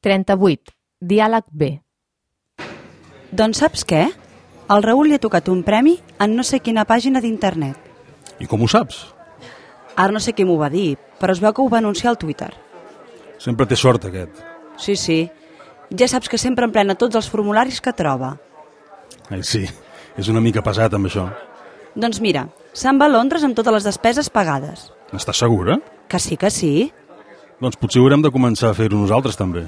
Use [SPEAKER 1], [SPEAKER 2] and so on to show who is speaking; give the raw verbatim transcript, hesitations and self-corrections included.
[SPEAKER 1] trenta-vuit. Diàleg B.
[SPEAKER 2] Doncs saps què? Al Raül li ha tocat un premi en no sé quina pàgina d'internet.
[SPEAKER 3] I com ho saps?
[SPEAKER 2] Ara no sé qui m'ho va dir, però es veu que ho va anunciar al Twitter.
[SPEAKER 3] Sempre té sort, aquest.
[SPEAKER 2] Sí, sí. Ja saps que sempre emplena tots els formularis que troba.
[SPEAKER 3] Ai, sí, és una mica pesat amb això.
[SPEAKER 2] Doncs mira, se'n va a Londres amb totes les despeses pagades.
[SPEAKER 3] N'estàs segura?
[SPEAKER 2] Que sí, que sí.
[SPEAKER 3] Doncs potser haurem de començar a fer-ho nosaltres també.